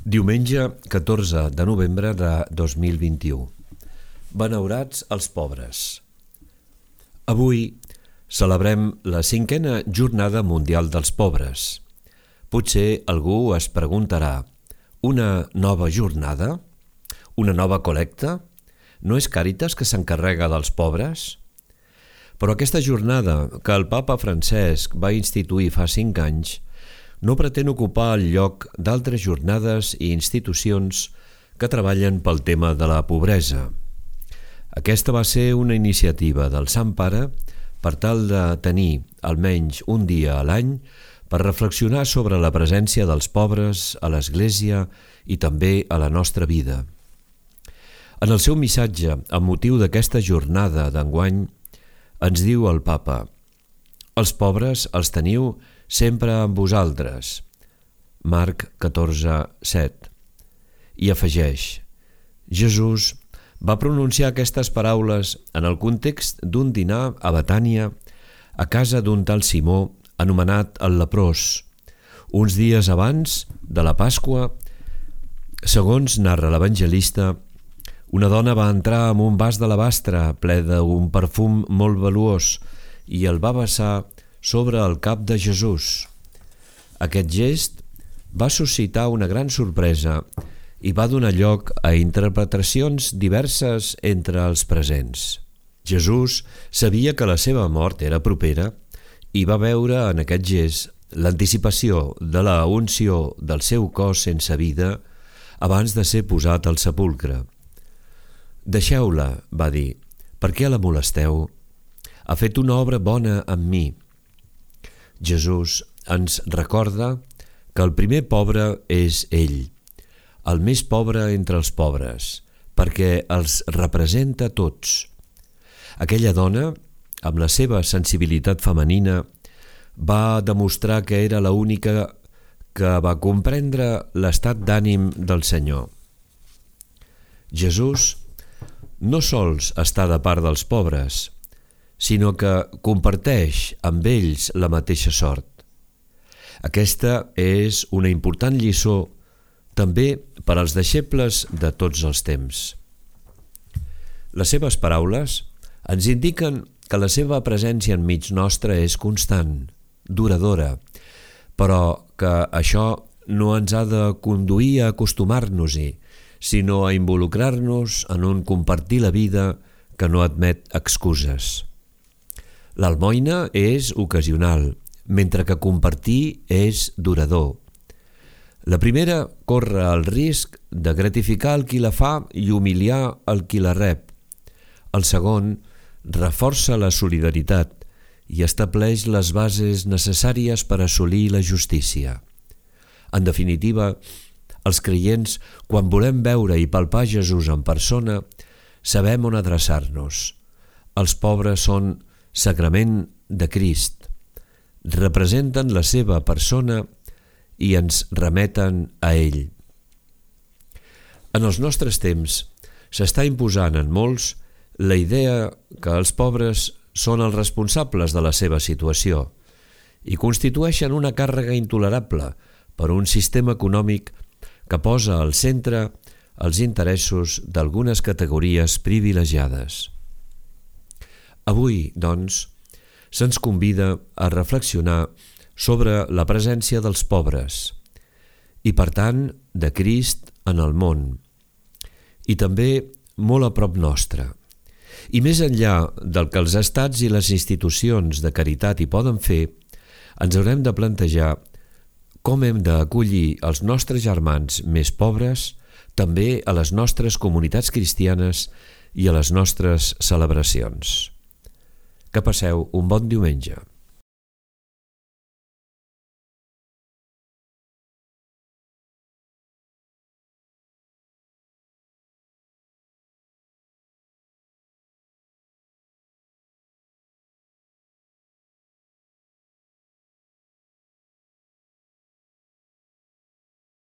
Diumenge 14 de novembre de 2021. Benaurats els pobres. Avui celebrem la 5a Jornada Mundial dels Pobres. Potser algú es preguntarà: una nova jornada? Una nova col·lecta? No és Càritas que s'encarrega dels pobres? Però aquesta jornada que el Papa Francesc va instituir fa 5 anys no pretén ocupar el lloc d'altres jornades i institucions que treballen pel tema de la pobresa. Aquesta va ser una iniciativa del Sant Pare per tal de tenir almenys un dia a l'any per reflexionar sobre la presència dels pobres a l'Església i també a la nostra vida. En el seu missatge, amb motiu d'aquesta jornada d'enguany, ens diu el Papa: «Els pobres els teniu sempre amb vosaltres». Marc 14:7. I afegeix: Jesús va pronunciar aquestes paraules en el context d'un dinar a Betània, a casa d'un tal Simó, anomenat el leprós, uns dies abans de la Pasqua. Segons narra l'evangelista, una dona va entrar amb un vas d'alabastre ple d'un perfum molt valuós i el va vessar sobre el cap de Jesús. Aquest gest va suscitar una gran sorpresa i va donar lloc a interpretacions diverses entre els presents. Jesús sabia que la seva mort era propera i va veure en aquest gest l'anticipació de la unció del seu cos sense vida abans de ser posat al sepulcre. «Deixeu-la», va dir, «per què la molesteu? Ha fet una obra bona amb mi». Jesús ens recorda que el primer pobre és ell, el més pobre entre els pobres, perquè els representa tots. Aquella dona, amb la seva sensibilitat femenina, va demostrar que era l'única que va comprendre l'estat d'ànim del Senyor. Jesús no sols està de part dels pobres, sinó que comparteix amb ells la mateixa sort. Aquesta és una important lliçó també per als deixebles de tots els temps. Les seves paraules ens indiquen que la seva presència enmig nostre és constant, duradora, però que això no ens ha de conduir a acostumar-nos-hi, sinó a involucrar-nos en un compartir la vida que no admet excuses. L'almoina és ocasional, mentre que compartir és durador. La primera corre el risc de gratificar el qui la fa i humiliar el qui la rep. El segon reforça la solidaritat i estableix les bases necessàries per assolir la justícia. En definitiva, els creients, quan volem veure i palpar Jesús en persona, sabem on adreçar-nos. Els pobres són sagrament de Crist, representen la seva persona i ens remeten a ell. En els nostres temps s'està imposant en molts la idea que els pobres són els responsables de la seva situació i constitueixen una càrrega intolerable per un sistema econòmic que posa al centre els interessos d'algunes categories privilegiades. Avui, doncs, se'ns convida a reflexionar sobre la presència dels pobres i, per tant, de Crist en el món, i també molt a prop nostre. I més enllà del que els estats i les institucions de caritat hi poden fer, ens haurem de plantejar com hem d'acollir els nostres germans més pobres també a les nostres comunitats cristianes i a les nostres celebracions. Que passeu un bon diumenge.